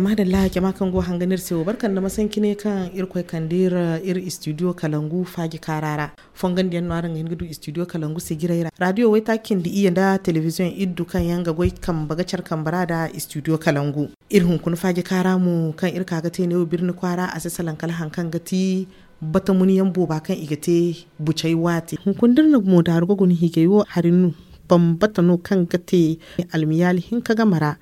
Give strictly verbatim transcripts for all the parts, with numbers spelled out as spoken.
Madalla, jama kaŋ go hanga no iri se wo, barka nda masanci ne kaŋ Irkoy kande iri, iri studio Kalangu faaji kaara ra. Fongandiyaŋ no araŋ ga hin ga du studio Kalangu sijiray ra. Radio waytaaci cindi iyye nda televiziyoŋ iddu kaŋ yaŋ ga goy kambe ga care kambe ra nda studio Kalangu. Iri hunkuna faaji kaara mo kaŋ iri ka ga te neewo birni kwaara, a si salaŋ kala haŋ kaŋ ga ti batamunyaŋ booba kaŋ i ga te bucay waati. Hunkuna da iri na mo daaru ga guna hiijay wo hari no, bambata no kaŋ ga te almiyaali hinka game ra,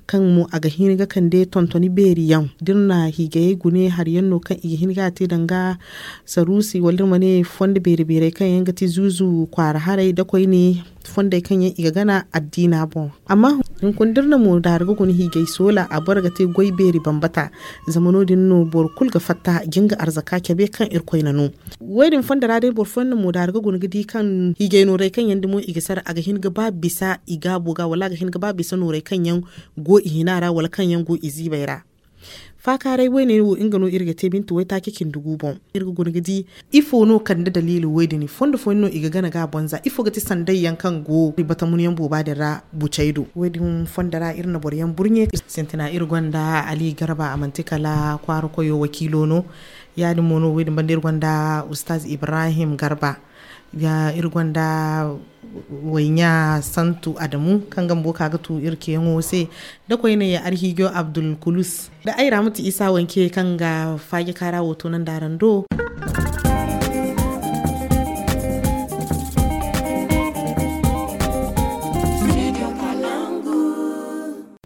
kaŋ mo a ga hin ga kande tontoni beeri yaŋ. Da iri na hiijayey gune hari yaŋ no kaŋ i ga hin ga te danga saruusi, wala iri ma ne fondo beeri-beerey kaŋ yaŋ ga ti zuuzu kwaara haray da koyne fondey kaŋ yaŋ i ga gana addiina boŋ. Amma hunkuna da iri na mo daaru ga guna hiijay soola, a boro ga te goy beeri bambata. Zama no-din no boro kulu ga fatta jin ga arzaka cabe kaŋ Irkoy na no. Wo-din fondo ra day boro fooyaŋ na mo daaru ga guna ga di kaŋ hiijay nooray kaŋ yaŋ dumo i ga sara, a ga hin ga ba bisa i gaabo ga, wala a ga hin ga ba bisa nooray kaŋ yaŋ go i hina ra, wala kaŋ yaŋ go i ziibay ra. Faakaaray woyne wo, nga no iri ga te bintu waytaaci cindi gu boŋ. Iri ga guna ga di ifo no kande daliili wo-din. Fondo fooyaŋ no i ga gana ga boŋ za. Ifo ga ti sanday yaŋ kaŋ go batamunyaŋ booba din ra bucay do. Wo-din fondo ra iri na boroyaŋ burɲe. Sintina iri gonda Ali Garba, a manti kala kwaara koyo wakiilo no. Ya-din mo no, wo-din banda iri gonda Ustaz Ibrahim Garba. Ya, iri gonda wayɲa Santu Adamu, kaŋ ga bumbo ka ga tu iri ceeyaŋo se, da koyne Arhiijo Abdul Kulus, da ay Ramatu Isa Wanke, kaŋ ga faaji kaara wo toonandi araŋ do.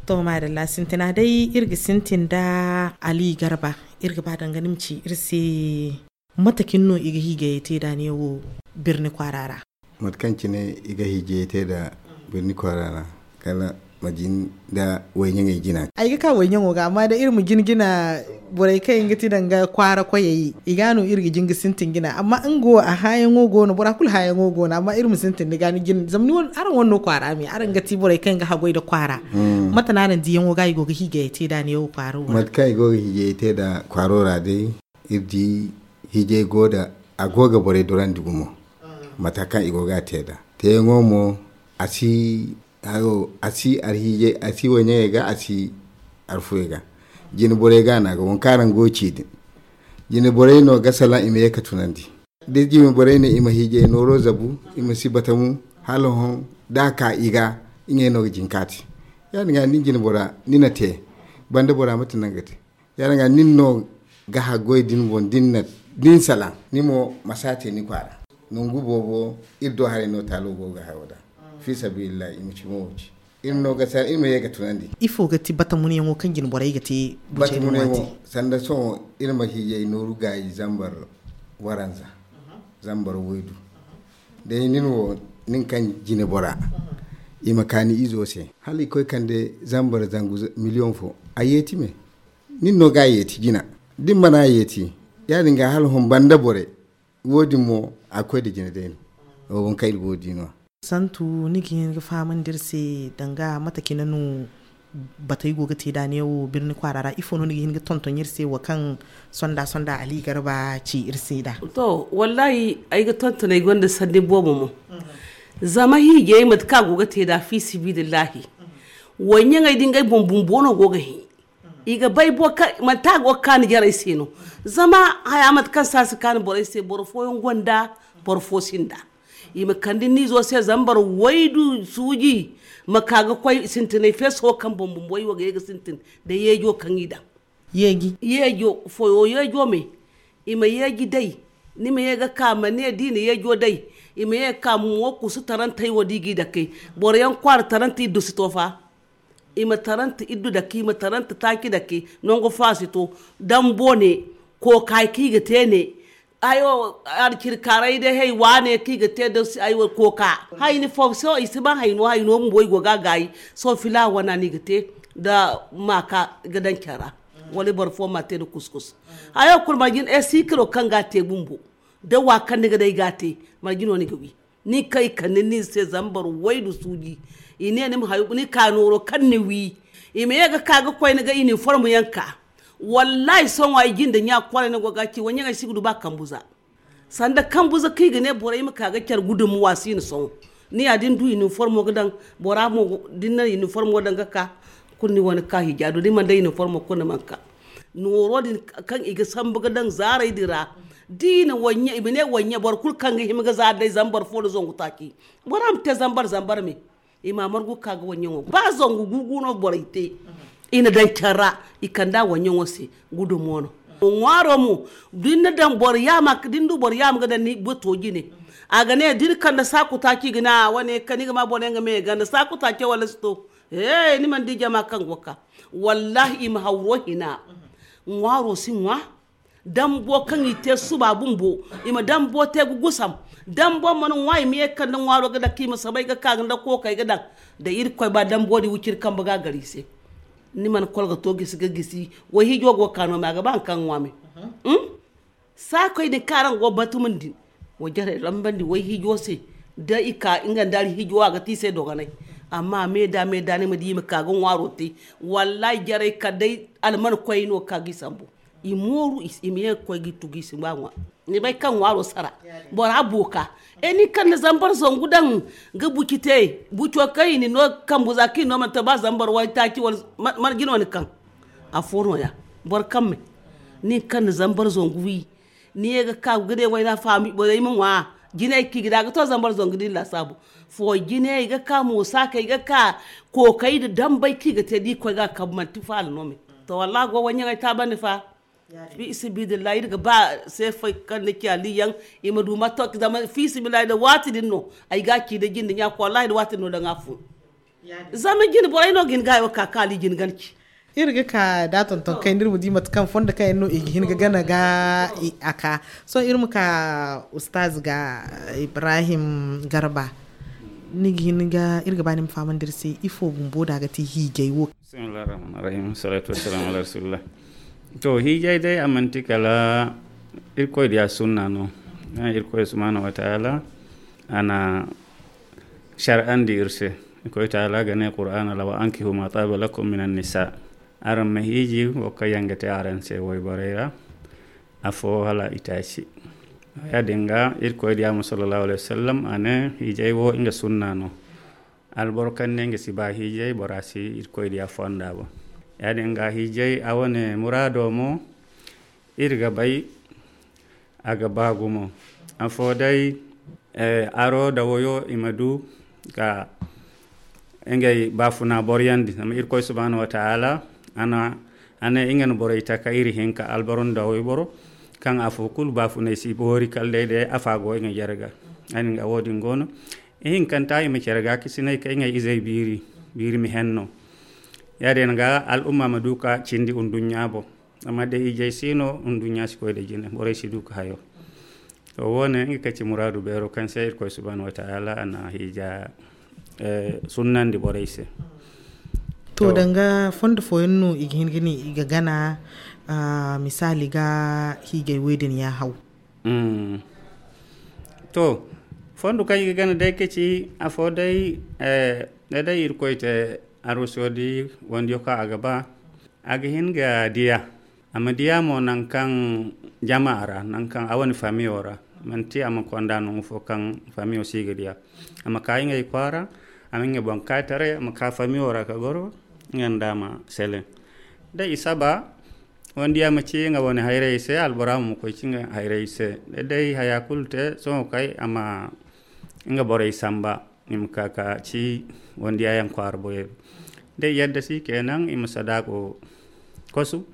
To, madalla, sintina day, iri ga sintin da Ali Garba. Iri ga ba danga ni ma ci iri se. Mate cine no i ga hiijayey te da neewo birni kwaara ra? Mate kaŋ cine i ga hiijayey te da birni kwaara ra, kala ma jin da wayɲaŋey jina. Ay ga ka wayɲaŋo ga, amma da iri ma jin jina, borey kaŋ yaŋ ga ti danga kwaara koyey, i ga no iri ga jin ga sintin jina. Amma nga wo, a hããyaŋo go no, bora kulu hããyaŋo go no, amma iri ma sintin ni ga ni jin, zama ni wane, araŋ wane no kwaara me, araŋ ga ti borey kaŋ yaŋ ga haggoy nda kwaara. Mate no araŋ diyaŋo ga i go ga hiijayey te da neewo kwaaro ra? Mate kaŋ i go ga hiijayey te da kwaaro ra day, iri di hiijay go da, a go ga borey dorandi gumo. Mate kaŋ i go ga a te da teeyaŋo mo, a si, hayo, a si arhiijay, a si wayɲaŋey ga, a si arfuyey ga. Jine borey ga no a ga, waŋ kaŋ araŋ go ga ci din. Jine borey no ga salaŋ i ma ye ga tunandi. Da jine borey ne i ma hiijay nooro zabu, i ma si batamu, hala hõ da a ka i ga, ngey no ga jin ka te. Ya-din ga, nin jine bora, ni na te, banda bora mate no nga ga te. Ya-din ga, nin no ga haggoy din boŋ, din na, din salaŋ, ni mo ma si a te ni kwaara. Nangu boobo, iri do haray no taalo go ga hayo da. Fi sabilillahi, i ma ci mo wo ci. Iri no ga sa, iri ma ye ga tunandi. Ifo ga ti batamunyaŋo kaŋ jine borey ga te bucey din waati? Batamunyaŋo, sanda sohõ iri ma hiijay nooru gaayi zambar waranza, zambar waydu. Day nin wo, nin kaŋ jine bora, i ma ka ni izo se. Hala i koy kande zambar zangu z-, miliyoŋ fo. A yeeti me. Nin no ga a yeeti jina. Da ni mana a yeeti, ya-din ga hala hõ banda borey. Wo-din mo, a ga koy nda jine day no. Wo, waŋ kaŋ iri go ga di no. Santu, ni ga hin ga fahamandi iri se danga mate cine no batey go ga te da neewo birni kwaara ra? Ifo no ni ga hin ga tonton iri se, wo kaŋ sonda-sonda Ali Garba ci iri se nd'a? To, wallahi, ay ga tonton, ay gonda sanni boobo mo. Zama hiijay, mate kaŋ a go ga te nd'a, fi sabilillahi, wayɲaŋey da ngey boŋ bumbo no go ga hin. I ga bay boro kaŋ manti a go ga kaanu jarey se no. Zama haya, mate kaŋ se a si kaanu borey se, boro fooyaŋ gonda, boro fo sinda. I ma kande ni izo se zambar waydu suuji, ma ka ga koy sintinay feeso kaŋ boŋ bumbo i wo ga ye ga sintin da yeejo kaŋ i daŋ. Yeeji? Yeejo, foyo yeejo me. I ma yeeji day. Ni ma ye ga ka, ma ne da i na yeejo day, i ma ye ga ka mo kusu tarantey wo da i g'i dake. Boroyaŋ kwaara tarantey iddu si to fa. I ma taranta iddu dake, i ma taranta taaci dake, nangu fo a si to. Dambo ne, kooka kaŋ i ga te ne. Ayo, alcirkaarey day hay wane kaŋ i ga te da si, ayo, kooka. Hayni fo, sohõ i si ba hayno, hayno bumbo i go ga a gaayi. Sohõ filaawa wana no i ga te da maaka ga daŋ care ra. Wala boro fo ma a te da kuskus. Hayo kulu marje no, e, sikiro kaŋ ga a te bumbo. Da wa kaŋ ni ga day ga a te, marje no ni ga wi. Nin kaŋ i kande ni se zambar waydu suuji. I ne ni ma hayo, ni ka nooro kaŋ ni wi. I ma ye ga ka ga koy ni ga uniform yaŋ ka. Wallahi, sohõ ay jinde ɲa kwaara ni go ga ci, wayɲaŋey si ga du ba kambu za. Sanda kambu za kaŋ i ga ne borey ma ka ga care gudummuwa si no sohõ. Ni ya da ni du uniformo ga daŋ, bora mo da ni na uniformo daŋ ga ka, Kulu ni wane ka hija do ni mana day uniform kulu ni mana ka. Nooro din kaŋ i ga sambu ga daŋ zaaray din ra, da i na waɲɲe i ma ne waɲɲe boro kulu kaŋ ga hima ga zaari day zama boro fo da zangu taaci. Bora ma te zambar zambar me. I ma margu ga ka ga waɲɲaŋo ba zangu gugu no borey te. I na daŋ care ra, i kand'a waɲɲaŋo se. Gudumo no. Ŋwaaro mo, da ni na daŋ boro yaama da ni du boro yaama ga daŋ ni bato jine. A ga ne da ni kande saaku taaci ga ne a wane kaŋ ni ga ma boro yaŋ ga me ganda saaku taaco wala si to. He, ni mana di jama kaŋ go ga ka. Wallahi i ma hawro hina. Ŋwaaro si ŋwa. Dambo kaŋ i te suba bumbo, i ma dambo te ga gusam. Dambo mana ŋwa i ma ye ga kande ŋwaaro ga dake i ma sabay ga ka ga nda kookay ga daŋ. Da irkoy ba dambo din wiciri kambe ga a gar i se. Ni mana kolga to gisi ga gisi. Wayhiijo go ga ka no me a ga ba hari kaŋ ga ŋwa me. Saakoy din kaŋ araŋ go ga batumandi, wa jarey rambandi wayhiijo se. Da i ka nga nda alhiijo a ga te i se dogonay. Amma me da me da ni ma di i ma ka ga ŋwaaro te. Wallahi jarey kala day alman koyey no ga ka ga i sambu. I mooru i ma ye ga koy ga i tugu i si ba ŋwa. Ni bay kaŋ ŋwaaro sara. Bora booka. E ni kaŋ na zambar zangu daŋ ga buci te. Buco kaŋ i na ni no kambu za kaŋ i no mana te ba zambar waytaaci wala. Mana jino ni kaŋ afo no- ya. Boro kaŋ me ni kaŋ na zambar zangu wi. Ni ye ga ka ga ne wayna faami borey ma ŋwa. Jinay kaŋ i ga da ga to zambar zangu din laasaabu. Fo jinay ga ka moosa kaŋ i ga ka kookay nda dambay kaŋ i ga te da i koy ga a kabu manti faala no me. To wallahi go wayɲaŋey taabandi fa. Fi sabilillahi iri ga ba seefey kaŋ ni ci aliyaŋ. I ma du ma to zama fi sabilillahi da waati din no ay ga ci da jinde ɲa ko wallahi da waati din no daŋ a fun. Zama jine borey no ga hin ga hayo ka kaŋ ali jine gana ci. Iri ga ka da tonton kay no iri ma di mate kaŋ fondo kaŋ yaŋ no i ga hin ga gana ga a ka. Sohõ iri ma ka ustaz ga ibrahim garba. Ni ga hin ga iri ga ba ni ma fahamandi iri se ifo bumbo da a ga ti hiijay wo. Bismillah rahman rahim salatu wassalamu ala rasulillah. To hiijay day a manti kala irkoy diya sunna no. Irkoy subhanahu wa ta'ala a na shar'andi iri se. Irkoy taala ga ne qur'aana ra wa ankihu ma taaba lakum min annisa. Araŋ ma hiiji wo kaŋ yaŋ ga te araŋ se wayborey ra. Afo hala itaaci. Ya- din ga irkoy diya mo sallallahu alayhi wasallam a ne hiijay wo nga sunna no. Alboro kaŋ ne nga si ba hiijay bora si irkoy diya fonda bo. Ya- din ga hiijay a wane muraado mo iri ga bay a ga ba gumo. Afo day aro da wayo i ma du ka ngey baafuna boroyandi zama irkoy subhanahu wa ta'ala a ne nga na borey taka iri hinka alboro nda wayboro. Kaŋ afo kulu baafunay si boori kala day day afa go nga jere ga. Ani nga wo- din go no. Ihinkanta i ma care ga kisinay ka ngey izey biiri biiri ma henno. Ya- din ga al'umma ma du ka cindi nduɲɲa boŋ. Amma day ijey si no nduɲɲa si koy da jine borey si du ka hayo. To wo- ne nga ka ci muraadu beero kaŋ se irkoy subhanahu wa ta'ala a na hiija sunnandi borey se. To danga fondo fooyaŋ no i ga hin ga ne i ga gana misaali ga hiijay wey din ya haw. To fondo kaŋ i ga gana day ka ci afo day da day irkoy te arosodi wandiyo kaŋ a ga ba a ga hin ga diya. A ma diya mo nangu kaŋ jama ra nangu kaŋ a wane famiyo ra. Manti a ma konda nangu fo kaŋ famiyo si ga diya. A ma ka ngey kwaara a ma ngey boŋ ka taray a ma ka famiyo ra ka goro. Nga nda a ma sele da i saba wanda ya ma ci nga wane hayrey se albora mo ma koy ci nga hayrey se da day haya kulu te sohõ kay a ma nga borey samba. I ma ka ka ci wanda ya yaŋ kwaara boyey day yadda si kenan i ma sadaako kosu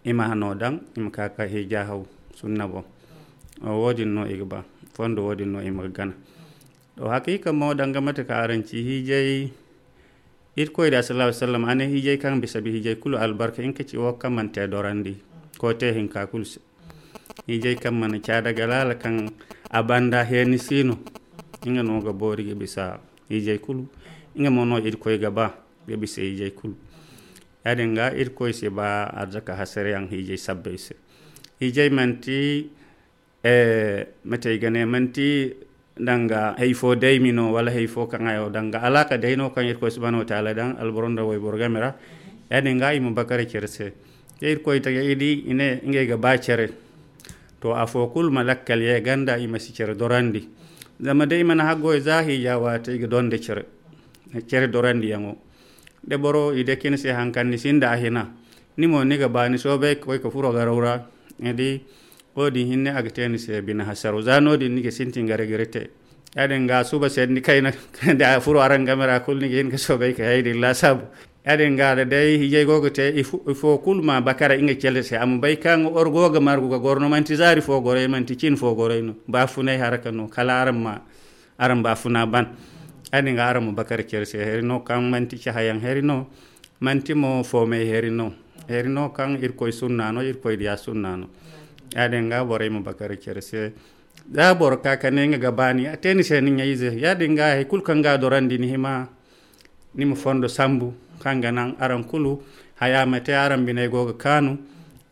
i ma hano daŋ i ma ka ka hija haw sunna boŋ. Wo- din no i ga ba fondo wo- din no i ma ga gana. To hakiika mo danga mate ka araŋ ci hijay irkoy da sallallahu alaihi wasallam a ne hijay kaŋ bisa bi hijay kulu albarka in ka ci wo kaŋ man te dorandi ko te hinka kulu se. Hijay kaŋ mana ca daga laala kaŋ a banda heeni si no. Nga no ga boori ga bisa hijay kulu. Nga mo no irkoy ga ba ga bisa hijay kulu. Ya- din ga irkoy si ba arzaka hasariyaŋ hijay sabbay se. Hijay manti mate i ga ne manti danga hay fo daymi no wala hay fo kaŋ hayo danga alaaka day no kaŋ irkoy subhanahu wa taala daŋ alboro nda wayboro game ra. Ya- din ga i ma bakara care se. Ka irkoy tage i di i ne ngey ga ba care. To afo kulu ma lakkal ye ganda i ma si care dorandi. Zama day i mana haggoy za hija waate i ga donda care care dorandiyaŋo. Da boro i dake ni se haŋ kaŋ ni sinda a hina, ni mo ni ga ba ni soobay ka koy ka furo garaw ra. Ni di, wo-din hinne a ga te ni se bine hasaro za no-din ni ga sintin ga regrete. Ya-din ga suba se ni kayna da a furo araŋ game ra kulu ni ga hin ga soobay ka hay din laasaabu. Ya-din ga da day hijay go ga te ifo kulu ma bakara nga cere se a ma bay kaŋ or go ga margu ga goro no manti zaari fo goray manti cin fo goray no ba funay haraka no kala araŋ ma araŋ ba funa ban. Ya-din ga araŋ ma bakara cere se heri no kaŋ manti cahayaŋ heri no manti mo foomay heri no. Heri no kaŋ irkoy sunna no irkoy diya sunna no. Ya-din ga borey ma bakara cere se da boro ka ka ne nga ga baani a te ni se ni ɲayze ya-din ga hari kulu kaŋ ga dorandi ni hima ni ma fondo sambu kaŋ ga naŋ araŋ kulu haya ma te araŋ biney go ga kaanu.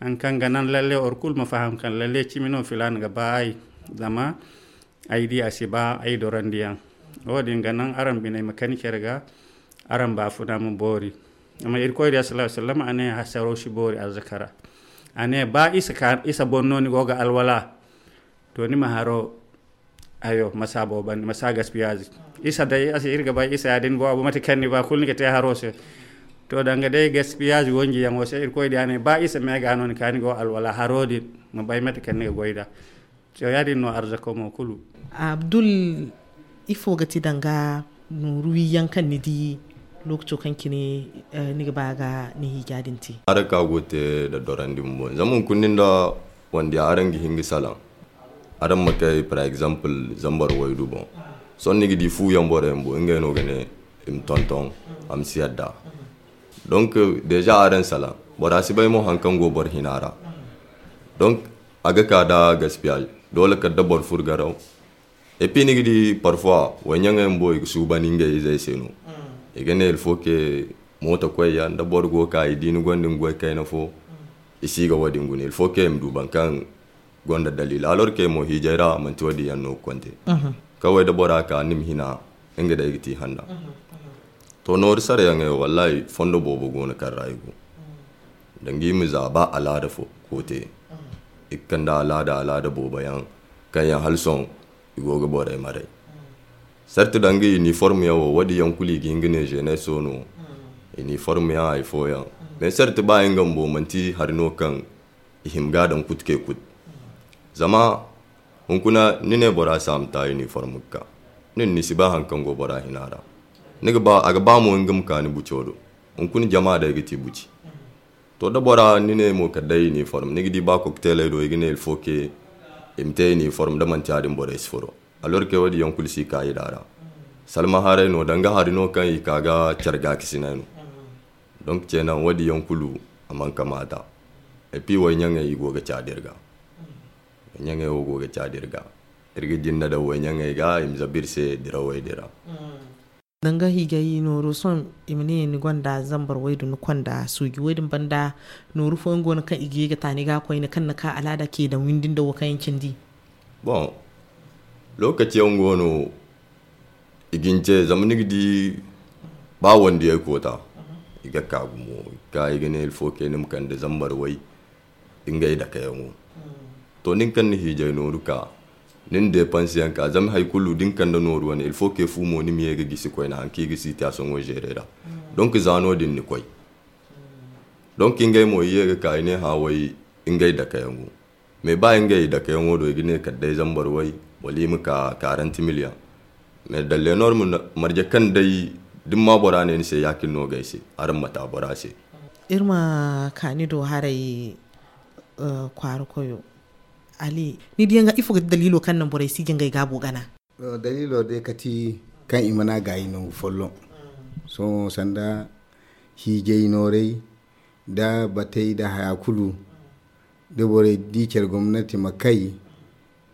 Haŋ kaŋ ga naŋ lalle or kulu ma faham kaŋ lalle cimi no filaana ga ba ay zama ay di a si ba ay dorandiyaŋ. Wo-din ga naŋ araŋ biney ma kani care ga araŋ baafuna ma boori. Amma irkoy diya sallallahu alaihi wasallam a ne hasaro si boori arzaka ra. A ne ba isa boŋ no ni go ga alwala to ni ma haro hayo masa boobo banda masa gaspiyaazi. Isa day a se iri ga bay isa ya-din boobo mate kaŋ ni ba kulu ni ga te haro se. To danga day gaspiyaazi wonji yaŋo se irkoy diya ne ba isa me ga no ni ka ni go alwala haro din ma bay mate kaŋ ni ga goy da. To ya-din no arzako mo kulu. Abdul, ifo ga ti danga nooru wiyaŋ kaŋ ni di lookaco kaŋ cine ni ga ba ga ni hiija din te? Araŋ ka go te da dorandi bumbo zama hunkuna din da wanda yaŋ araŋ ga hin ga salaŋ. Araŋ ma kay par exemple zambar waydu boŋ. Sohõ ni ga di fu yaŋ boro yaŋ bumbo ngey no ga ne i ma tonton a ma si yadda. Donc deja araŋ salaŋ bora si bay mo haŋ kaŋ go boro hina ra. Donc a ga ka da gaspiyaazi doole kala da boro furo garaw. Et puis ni ga di parfois wayɲaŋey bumbo i ga suuban ngey izey se no. I ga ne il faut que mooto koy yaŋ da boro go ga ka i di ni gonda ni goy kayna fo. I si ga wo-din guna il faut que i ma du boro kaŋ gonda daliila alors que mo hiijay ra manti wo-din yaŋ no ga konte. Kaway da bora ka ni ma hina nga day ga ti hanna. To nooru sarayaŋey wo wallahi fondo boobo go no kaŋ ra i go. Danga i ma za ba alaada fo koote i ga kande alaada alaada boobo yaŋ kaŋ yaŋ hala sohõ i go ga borey maray. Sarti danga uniforme yaŋ wo wo- din yaŋ kulu i ga hin ga ne jeunesse no. Uniforme yaŋ hari fooyaŋ mais sarti ba nga bumbo manti hari no kaŋ i hima ga a daŋ kuti kay kuti. Zama hunkuna ni ne bora se a ma ta uniforme ga ka nin ni si ba hari kaŋ go bora hina ra. A ga ba mo nga ma ka ni buco do. Hunkuna jama day ga ti buci. To da bora ni ne mo kala day uniforme ni ga di ba kokteeley do i ga ne il faut que i ma te uniforme da manti ya- din borey si furo. Alors que wo- din yaŋ kulu si ka i da ra. Salma haray no danga hari no kaŋ i ka ga care gaakasinay no. Donc ce naŋ wo- din yaŋ kulu a mana kamaata. Et puis wayɲaŋey i go ga caadi iri ga. Wayɲaŋey wo go ga caadi iri ga. Iri ga jinne daŋ wayɲaŋey ga i ma zabu iri se dirawey din ra. Danga hiijay nooru sohõ i ma ne ni gonda zambar waydu ni konda suuji wo- din banda nooru fooyaŋ go no kaŋ i ga ye ga ta ni ga koyne kaŋ ni ka alaada ce daŋ windi nda wo kaŋ yaŋ cindi. Bon, lookaci yaŋ go no i ga ni ce zama ni ga di ba wandiyay koota i ga ka gumo i ga ka i ga ne il faut que ni ma kande zambar way. Ngey dakayaŋo to nin kaŋ ni hiijay nooru ka nin depanse yaŋ ka zama hari kulu da ni kande nooru wane il faut que fu mo ni ma ye ga gisi koyne hari kaŋ i ga sitiyasoŋo zeere ra. Donc za no- din ni koy donc ngey mo i ye ga ka i ne hã way ngey dakayaŋo. Mais ba ngey dakayaŋo do i ga ne kala day zambar way wala i ma ka quarante million. Mais dalle norme marje kaŋ day da ni ma bora ne ni se ya- cine no ga ay se. Araŋ ma ta bora se. Iri ma ka ni do haray kwaara koyo. Ali, ni diyaŋ ga ifo ga ti daliilo kaŋ naŋ borey si ga ngey gaabo gana? Daliilo day kati kaŋ i mana gaayi nangu folloŋ. Sohõ sanda hiijay nooray da batay da haya kulu da borey di care gomnati ma kay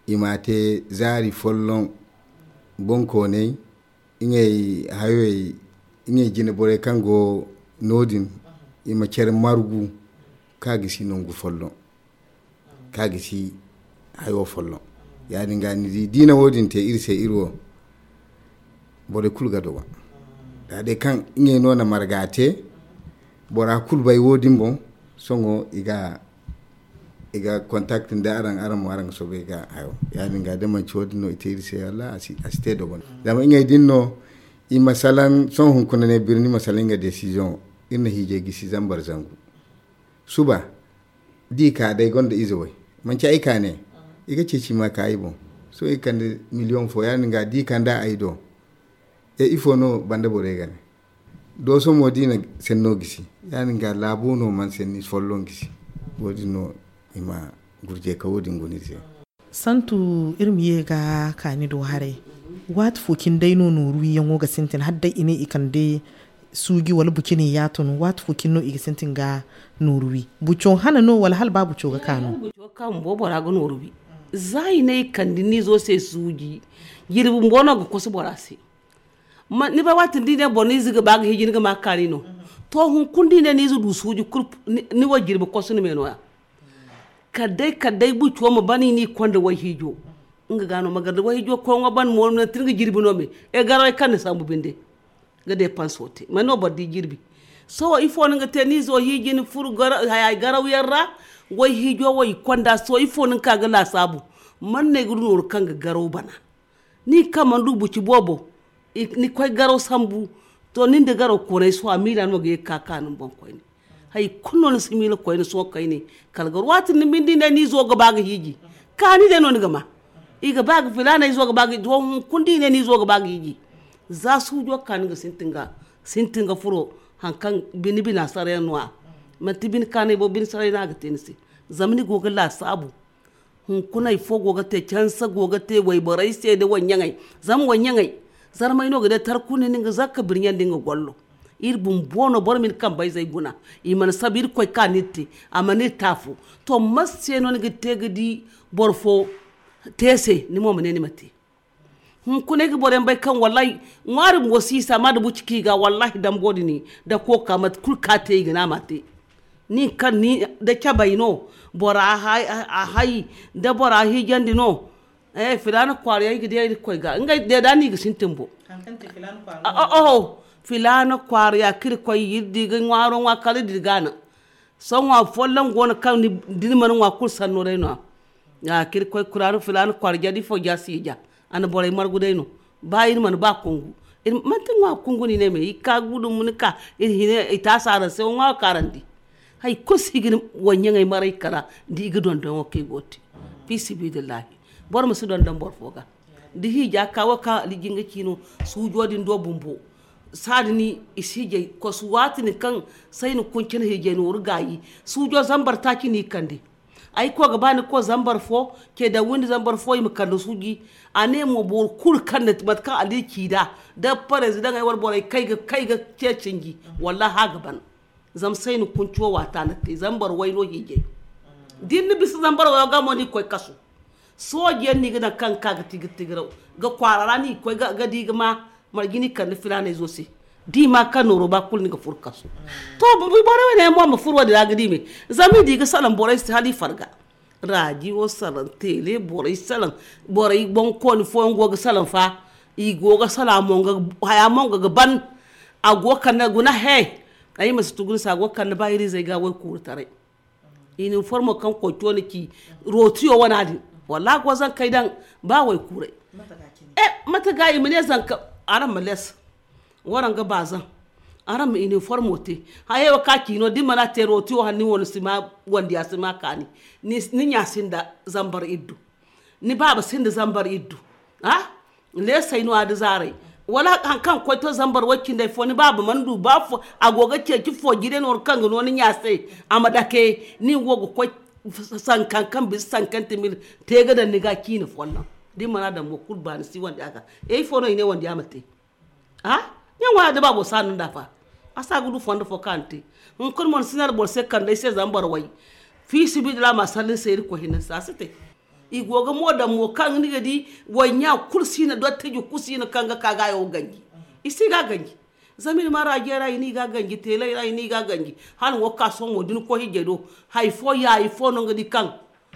i ma te zaari folloŋ. Bonkoonay ngey hayoy ngey jine borey kaŋ go no- din i ma care margu ka gisi nangu folloŋ ka gisi hayo folloŋ. Ya- din ga ni di diina wo- din te iri se iri wo borey kulu ga dogon da day kaŋ ngey no na marga te. Bora kulu bay wo- din boŋ sohõ i ga i ga contact nda araŋ araŋ mo araŋ ga soobay ga hayo. Ya- din ga da manci wo- din no i te iri se walla a si te dogon zama ngey din no. I ma salaŋ sohõ hunkuna ne birni ma salaŋ nga desiziyoŋo. Iri na hiijay gisi zambar zangu suba. Da i ka day gonda ize way manci ay ka ne i ga ceeci ma ka ay boŋ. Sohõ i kande miliyoŋ fo ya- din ga da i kande ay do. E ifo no banda borey ga ne dooso mo da i na senno gisi ya- din ga laabo no mana senni folloŋ gisi. Wo- din no i ma gurjey ka wo- din guna iri se. Santu iri ma ye ga kaani do haray. Waati fo cine day no nooru wiyaŋo ga sintin hala day i ne i kande suuji wala bucine yaato no waati fo cine no i ga sintin ga nooru wi? Buco hana no wala hala ba buco ga ka no? Buco ga ka bumbo bora ga nooru wi. Za i ne i kande ni izo se suuji jirbi bumbo no ga koso bora se. Ni bay waati din da i ne boro ni ize ga ba ga hiiji ni ga ma kaani no. To hunkuna da i ne ni ize du suuji kulu ni wo jirbi koso ni me no- ya. Kala day kala day buco ma ban i n'i konda wayhiijo. Nga ga no ma gar da wayhiijo koy ŋwa ban mo nanti ni ga jirbi no me. E garawey kaŋ ni sambu binde ga deepanso te man no boro di jirbi. Sohõ ifo no ni ga te ni izo hiiji ni furo garaw yaŋ ra. Wayhiijo wo i konda sohõ ifo no ni ka ga laasaabu? Man no ay ga du nooru kaŋ ga garaw bana. Ni kaŋ mana du buci boobo ni koy garaw sambu. To nin da garaw koonay sohõ a miila no ga ye ga ka kaanu ni boŋ koyne. Hari kulu no ni si miila koyne sohõ kayne. Kala garaw waati ni binde i ne ni izo ga ba ga hiiji. Kaani day no ni ga ma i ga ba ga filaana izo ga ba ga hiiji to hunkuna da i ne ni izo ga ba ga hiiji. Za suujo ga ka ni ga sintin ga furo hari kaŋ bine bina saray yaŋ no- ya. Manti bine kaanay bo bine saray no a ga te ni se. Zama ni go ga laasaabu. Hunkuna hari fo go ga te canse go ga te wayborey se nda wayɲaŋey. Zama wayɲaŋey zarmay no ga day tara kulu ni nga zakka birɲandi nga gollo. Iri bumbo no boro ma ni kambayzey guna. I mana sabu iri koy ka no iri te a mana iri te afo. To mate se no ni ga te ga di boro fo te se ni mo ma ne ni ma te? Hunkuna ay ga boro yaŋ bay kaŋ wallahi ŋwaari bumbo si i si a ma da buci ka i ga wallahi dambo din da kooka mate kulu ka te i ga ne a ma te. Nin kaŋ ni da cabay no bora a hay da bora hiijandi no. Filaana kwaara yaŋ i ga di ay ga koy ga ngey deeda no i ga sintin bo. Oho filaana kwaara ya kaŋ iri koy iri di ga ŋwaaro ŋwa kala iri di ga a naŋ. Sohõ ŋwa folloŋ go no kaŋ da ni mana ŋwa kulu sanno day no- ya. Kaŋ iri koy kuraana filaana kwaara ja da ifo ja si i ja. A na borey margu day no. Ba iri mana ba kungu manti ŋwa kungu no i ne me i ka gudu ma ni ka iri hina i taasi araŋ se wo ŋwa wo kaarandi. Hari kulu si ga ni waɲɲaŋey maray kala da i ga dondon wo kaŋ i go ga te. Fi sibidillahi boro ma si dondon boro fo ga. Da hiija ka wo kaŋ aliji nga ci no suujo din do bumbo. Saadin i si hiijay kosu waati din kaŋ sayni kuncin hiijay nooru gaayi. Suujo zambar taaci no i kande. Ay koy ga ba ni koy zambar fo ce daŋ windi zambar fo i ma kande suuji. A ne mo boro kulu kaŋ na mate kaŋ a di ci nd'a da parezidaŋey wala borey kay ga ce cinji. Wallahi a ga ban. Zama sayni kunci wo waata na te zambar way no hiijay. Da ni na bisa zambar wayo ga mo ni ga koy kasu. Sooji yaŋ no i ga daŋ kaŋ ga ka ga tigir tigiraw ga kwaara ra no i ga koy ga di ga ma marje no i kande filaanay zo se. Da i ma kaŋ nooro ba kulu ni ga furo kasu. To boro wane yaŋ mo ma furo wo- din ra ga di me. Zama i di ga salaŋ borey se hala i farga. Raajiyo salaŋ teele borey salaŋ. Borey boŋkooni fooyaŋ go ga salaŋ fa. I go ga salaŋ a mo nga haya mo nga ga ban. A go ga kande guna he. Ay ma si tugu ni se a go ga kande ba iri izey ga waykuuru taray. Iniformo kaŋ koy to ni ci rootiyo wana din. Wallaahi go zankey daŋ ba waykuuray. Mate ga i ma ne zanka araŋ ma les. Waraŋ ga ba zaŋ araŋ ma iniformo te. Hayey wo kaŋ a ci no da ni mana te rootiyo hala ni wo ni si ma wandiya si ma kaani. Ni ɲa sinda zambar iddu. Ni baaba sinda zambar iddu. Leesey no a da zaaray. Wala hari kaŋ ga koy to zambar way cindey fo ni baaba mana du ba fo. A go ga ceeci fo jire nooru kaŋ ga no ni ɲa se. A ma dake nin wo ga koy sankan kaŋ bisa sankante mil te ga daŋ ni ga ciine folloŋ. Da ni mana daŋ mo kulu ba ni si wandi a ga. Ifo no i ne wandi a ma te? Ɲaŋo ya da baabo si a naŋ da fa. A si a ga du fondo fo kaŋ a na te. Hunkuna mo ni si ne boro se kande ay se zambar way. Fi sibi da ra ma salli ni se irkoy hinne ni se a si te. I go ga mo daŋ mo kaŋ ni ga di wayɲa kulu si no dottiji kulu si no kaŋ ga ka ga yo ga ganji. I si ga ganji. Zama i na ma raajiya ra i ni ga ganji teelay ra i ni ga ganji. Hala wo ga ka sohõ mo da ni koy hijjay do. Hari fo yaayi fo no ni ga di kaŋ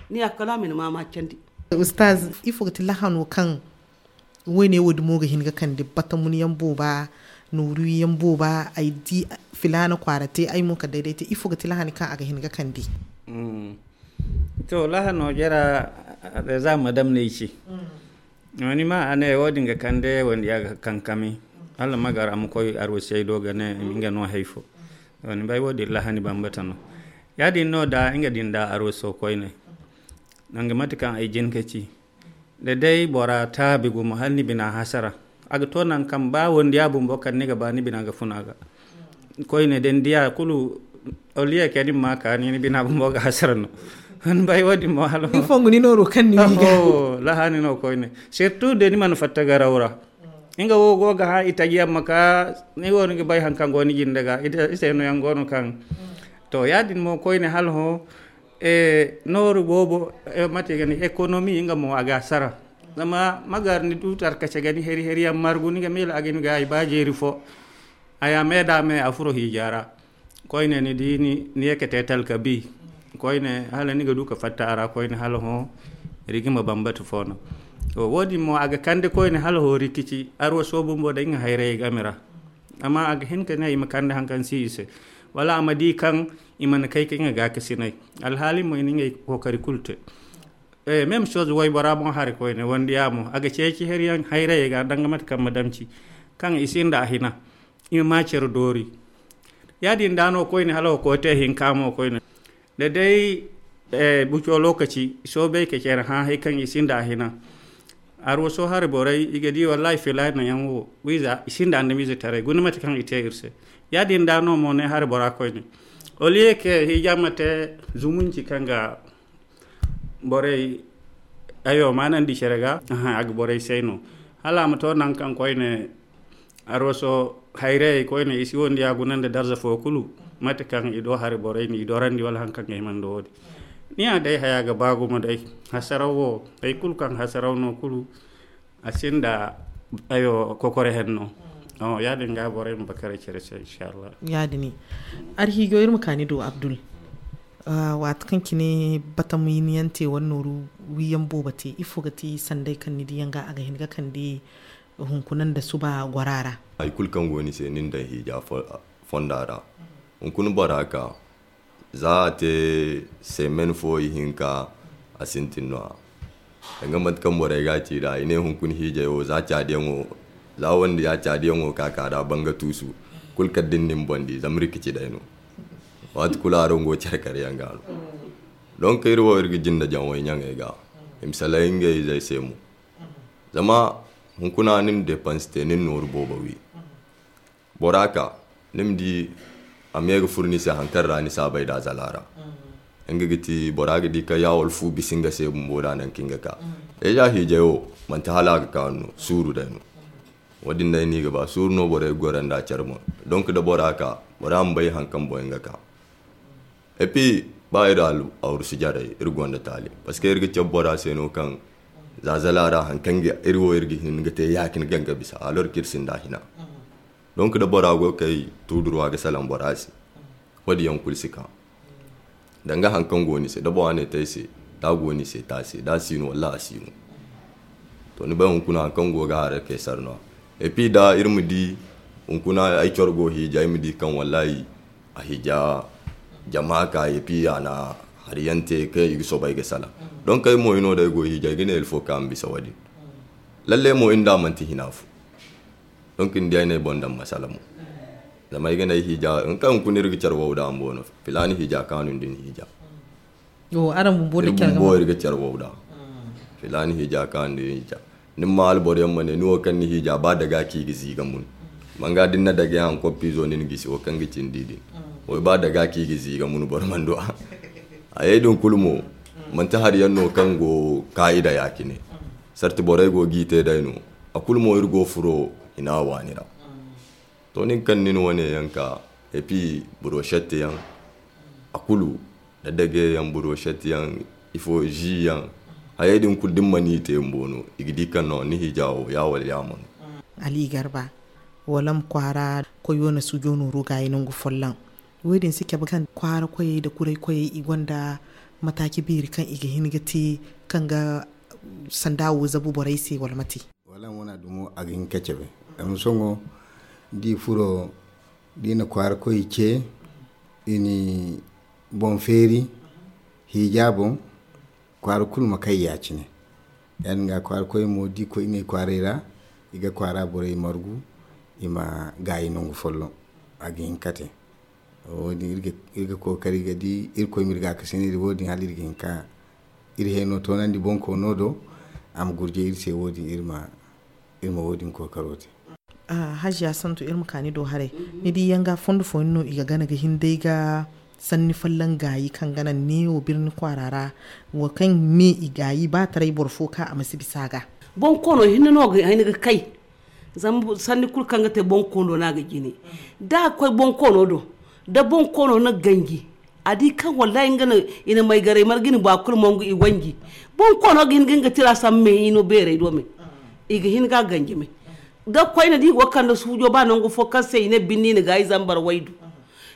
ni ya kala a ma ni ma ma candi. Ustaz, ifo ga ti lahano kaŋ wayne wo dumo ga hin ga kande batamun yaŋ booba, nooru yaŋ booba ay di filaana kwaara te ay mo ka dayday te ifo ga ti lahani kaŋ a ga hin ga kande? To lahano jara, za madam no ay ci. Ni ma a ne wo- din ga kande wandi a ga kankami. Hala ma gar a ma koy arwasey do ga ne nga no hay fo. Ni bay wo-din lahani bambata no. Ya-din no da nga din da arwaso koyne, danga mate kaŋ ay jin ka ci, da day bora taabi gumo hala ni bina hasara, a ga to nangu kaŋ ba wondiya bumbo kaŋ ni ga ba ni bina ga fun a ga. Koyne da ni diya kulu, oliye kay ni ma ka ni bina bumbo ga hasara no. Ni bay wo-din mo hala ni fongu ni nooro kaŋ ni wi ga. Lahani no koyne, surtout da ni mana fatta garaw ra. Nga wo go ga hã i taji yaŋ ma ka, ni go ni ga bay haŋ kaŋ go ni jinde ga i se no yaŋ go no kaŋ. To ya-din mo koyne hala hõ, nooru boobo, mate ga ne ekonomi nga mo a ga sara. Zama ma gar ni du tarkace ga ni heri heri yaŋ margu ni ga miila a ga ni gaayi ba jeeri fo. A ya me da me a furo hiija ra. Koyne ni di ni ye ka te talka bi. Koyne hala ni ga du ka fatta a ra koyne hala hõ, rigi ma bambata fo no. Wo-din mo a ga kande koyne hala hõ rikici arwaso bumbo da nga hayrayey game ra. Amma a ga hin ka ne i ma kande haŋ kaŋ si i se, wala a ma di kaŋ i mana kay ka nga gaakasinay. Alhaali mo i na ngey kookari kulu te. Même chose waybora mo hari koyne wandiya mo a ga ceeci heriyaŋ hayrayey ga danga mate kaŋ ma damci kaŋ i sinda a hina. I ma ma care doori. Ya-din da no koyne hala wo koy te hinka mo koyne, da day buco lokaci soobay ka care hã hay kaŋ i sinda a hina. Arwaso hari borey i ga di wallahi filaana yaŋ wo wiiza i sinda andamiize taray guna mate kaŋ i te iri se. Ya-din da no mo ne hari bora koyne, oliye ke hiija ma te zumunci kaŋ ga borey ayo maanandi care ga. A ga borey say no hala a ma to naŋ kaŋ koyne arwaso hayrayey koyne i si wondiya guna nda darza fo kulu. Mate kaŋ i do hari borey ni i dorandi wala haŋ kaŋ ga himando wo-din. Ni ya day haya ga ba gumo day. Hasaraw wo hay kulu kaŋ hasaraw no kulu a sinda ayo kokore henno. Ya-din ga borey ma bakare care se inshallah. Ya-din. Arhiijo iri ma ka ni do abdul. Waati kaŋ cine batam yinyaŋ te wala nooru wiyaŋ boobo te ifo ga ti sanday kaŋ ni diyaŋ ga a ga hin ga kande hunkuna nda suba gora ra? Hay kulu kaŋ go ni se ni na daŋ hiija fonda ra. Hunkuna bora ka za a te semen fo ihinka a sintin no-ya. Danga mate kaŋ borey ga a ci nd'a i ne hunkuna hiijay wo za caadiyaŋo za wande ya caadiyaŋo ka ka nd'a banga tuusu. Kulu kala da ni na ni boŋ di zama rikici day no. Waati kulu araŋ go care kare yaŋ ga no. Donc iri wo iri ga jinde jaŋ way ɲaŋey ga i ma salahi ngey izey se mo. Zama hunkuna ni na depanse te ni na nooru boobo wi. Bora ka ni ma di a me ga furo ni se haŋ kaŋ ra ni saabay da zala ra. Nga ga ti bora ga di kaŋ ya wala fu bisa nga se bumbo da naŋ kaŋ nga ka. Deja hiijay wo manti hala a ga kaanu no suuru day no. Wo-din day no i ga ba suuru no borey ga goro nda care boŋ. Donc da bora ka bora ma bay haŋ kaŋ boŋ nga ka. Et puis ba iri awrusu jarey iri gonda taali parce que iri ga cabe bora se no kaŋ zazala ra haŋ kaŋ iri wo iri ga hin ga te ya-cine kaŋ ga bisa alors kaŋ iri sinda hina. Donc da bora go ga kay tuudurwa ga salaŋ bora se. Wo-din yaŋ kulu si ka danga haŋ kaŋ go ni se da bora ne te ay se da a go ni se te a se da a si no walla a si no. To ni bay hunkuna haŋ kaŋ go ga haray kay sara no-ya. Et puis da iri ma di hunkuna ay coro go hiija ay ma di kaŋ wallahi a hija jama ka et puis a na hari yaŋ te kaŋ i ga soobay ga salaŋ. Donc ay mo hino day go hiija ay ga ne ilfo ka ma bisa wo-din. Lalle mo inda manti hina fo. Donc ni di ay na ay boŋ daŋ masala mo. Zama ay ga ne ay hija nga kaŋ hunkuna iri ga care wow da ambo no filaani hija kaanu nda ni hija. Wo araŋ bumbo da care bumbo iri ga care wow da filaani hija kaanu nda ni hija. Ni ma alboro yaŋ ma ne ni wo kaŋ ni hija ba daga kaŋ i ga ziiga mun. Manga da ni na daga yaŋ koppizo ni na gisi wo kaŋ ga cindi din. Wo ba daga kaŋ i ga ziiga mun boro mana du a. Hayey din kulu mo manti hari yaŋ no kaŋ go kaayida ya-cine. Sarti borey go g'i te day no. A kulu mo iri go furo hina waani ra. To nin kaŋ nin wane yaŋ ka et puis brochette yaŋ a kulu da dage yaŋ brochette yaŋ ifo ji yaŋ. Hayey din kulu da ni mana i te bumbo no i ga di kaŋ no ni hija wo ya wala ya mana. Ali garba wala ma kwaara koyo na sujo nooru gaayi nangu folloŋ. Wo-din si cabe kaŋ kwaara koyey nda kuray koyey i gonda mataaci beeri kaŋ i ga hin ga te kaŋ ga sanda wo zabu borey se wala mate? Wala wana dumo a ga hin ka cabe. Zama sohõ da i furo da i na kwaara koy ce i na boŋ feeri hiija boŋ. Kwaara kulu ma kay ya-cine. Ya-din ga kwaara koy mo da i koy ngey kwaaray ra i ga kwaara borey margu. i ma gaayi nangu folloŋ. A ga hin ka te. Wo- din iri ga kookari ga di irkoy ma iri gaakasinay da wo- din hala iri ga hin ka iri hayno toonandi bonkoono do. A ma gurje iri se wo- din iri ma wo- din kookaro te. Hajiya santu iri ma ka ni do haray. Ni di yanga fondo fooyaŋ no i ga gana ga hin day ga sanni folloŋ gaayi kaŋ gana neewo birni kwaara ra, wo kaŋ me i gaayi ba taray boro fo ka a ma si bisa ga. Bonkoono hinne no ga kay. Zama sanni kulu kaŋ ga te bonkoono no a ga jine. Da a ga koy bonkoono do, da bonkoono na ganji, a di kaŋ wallahi nga no i na maygaray marga i na ba kulu mongu i wanji. Bonkoono ga hin ga nga tira sambu me hino beeray do me. I ga hin ga a ganji me. Da koyne da i go ga kande suujo ba nangu fo kaŋ se i ne binni i na gaayi zambar waydu.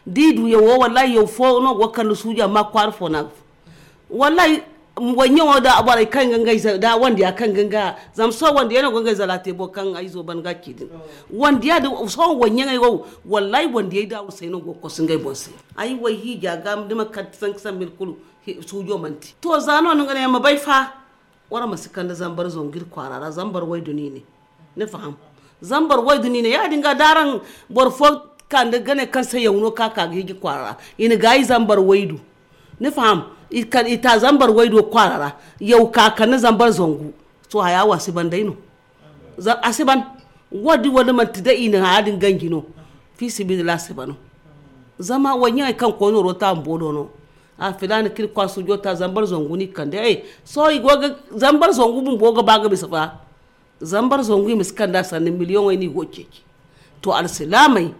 Da i du yawo wallahi yaw fo no go ga kande suujo amma kwaara fo no a ga fo. Wallahi, wanyaŋo da borey kaŋ ga ngey za da wandiya kaŋ ga nga zama sohõ wandiya no ga ngey zala te boro kaŋ ay zo ban ga ci din. Wandiya da sohõ wanyaŋey wo, wallahi wandiyey da wusay no go ga kosu ngey boŋ se. Ay way hiija ga da ma kar sanka sambil kulu. Suujo manti to za no ni ga ne ma bay fa. Wara ma si kande zambar zangu iri kwaara ra zambar waydu no i ne. Ni faham? Zambar waydu no i ne ya- din ga da araŋ boro fo kande gane kaŋ se yaw no ka ka ga hiji kwaara ra. I na gaayi zambar waydu. Ni faham? I ta zambar waydo kwaara ra. Yaw ka kande zambar zangu. To haya wo a si ban day no. A si ban. Wo- din wala manti day i na haya din ganji no. Fi sibiila a si bano. Zama wanyaŋey kaŋ koy nooro ta bumbo do no. A filaana kaŋ iri kwaara suujo ta zambar zangu no i kande. Sohõ i go ga zambar zangu bumbo ga ba ga bisa fa. Zambar zangu i ma si kande a sanni miliyoŋey no i go ga ceeci. To alsilaamey,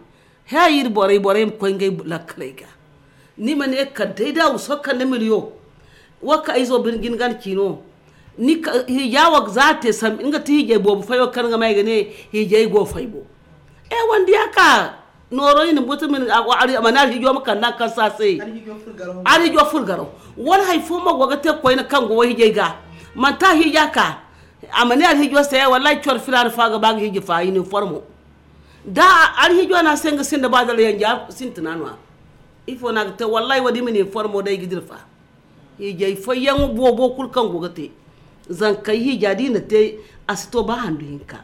he iri borey borey ma koy ngey lakkaley ga. Ni ma ne kala day da a wuso kande miliyo. Wo kaŋ ay zo bine jina gana ciino. Hiija wo za a te sambu nga ti hiijay boobo fay wo kaŋ nga ma ay ga ne hiijay go fay bo. E wanda ya ka nooro i na buta a ma ne alhiijo ma kande a ma kansa a se. Alhiijo furo garo wala hari fo mo go ga te koyne kaŋ go wo hiijay ga. Manti a hiija ka a ma ne alhiijo se wallahi coro filaana fo a ga ba ga hiiji fa i na informo. Da alhiijo no a se nga sinda ba dala yanja sintina no a. Ifo no a ga te wallahi wo- din i ma na informo day ga dira fa. Hiijay fayyaŋo boobo kulu kaŋ go ga te. Zankey hiija da i na te a si to ba handu hinka.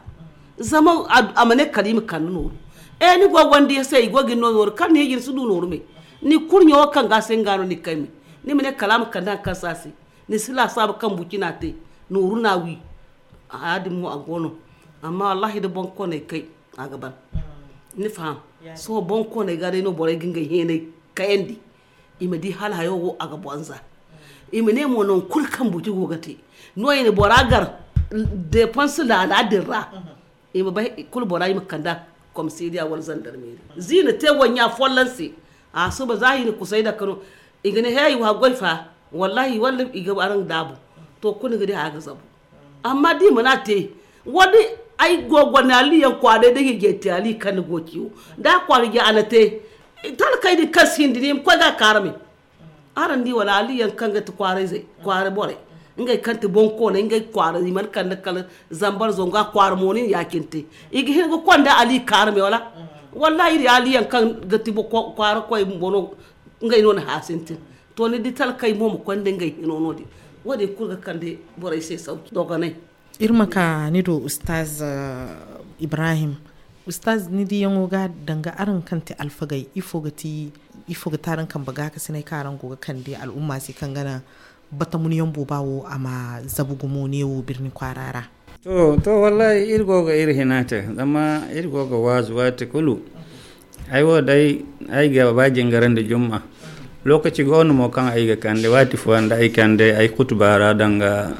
Zama a ma ne kala i ma kande nooru. E ni go ga wandi ya se i go ga ni no nooru kala ni hiiji ni si du nooru me. Ni kurɲo wo kaŋ ga a se nga no ni ga kay me. Ni ma ne kala a ma kande hari kaŋ se a se. Ni si laasaabu kaŋ buci no a te. Nooru no a wi. Haya din mo a go no. Amma wallahi da boŋ kooney kay a ga ban. Ni faham? Sohõ boŋ kooney ga day no borey ga ngey heeney kayandi. I ma di hala hayo wo a ga bonza. I ma ne mo nangu kulu kaŋ buci go ga te. No i na bora gar deepansi laala din ra. I ma bay kulu bora i ma kande a komisariya wala zandarmeeri. Za i na te waɲɲa folloŋ se. A suba za i na kusay dake no. I ga ne he i wa goy fa. Wallahi walla i ga araŋ daabu. To kulu ni ga di haya ga zabu. Amma da i mana te wala ay go gonda aliyaŋ kwaaray da hiijay te ali kaŋ ni go ga ci wo. Da a kwaara hiijay a na te. Talkey din kaŋ si hin da ni ma koy ga a kaarame. Araŋ di wala aliyaŋ kaŋ ga ti kwaara borey ngey kaŋ ti boŋ kooney ngey kwaara i mana kande kala zambar zangu a kwaara mo ni na ya- cine te. I ga hin ga konda ali kaarame wala. Wallahi iri aliyaŋ kaŋ ga ti kwaara koy bumbo no. Ngey no na hã sintin. To ni di talkey mo ma konda ngey hino no- din. Wo- din kulu ga kande borey se sauki dogonay. Iri ma ka ni do ustaz ibrahim. Ustaz ni diyaŋo ga danga araŋ kaŋ ti alfagey ifo ga ti araŋ kambe gaakasiney kaŋ araŋ go ga kande al'umma se kaŋ ga naŋ batamunyaŋ booba wo a ma zabu gumo neewo birni kwaara ra? To to wallahi iri go ga iri hina te zama iri go ga waazu waati kulu. Ay wo day ay ga ba jingarandi jumma. Lokaci go no mo kaŋ ay ga kande waati fooyaŋ da ay kande ay kutuba ra danga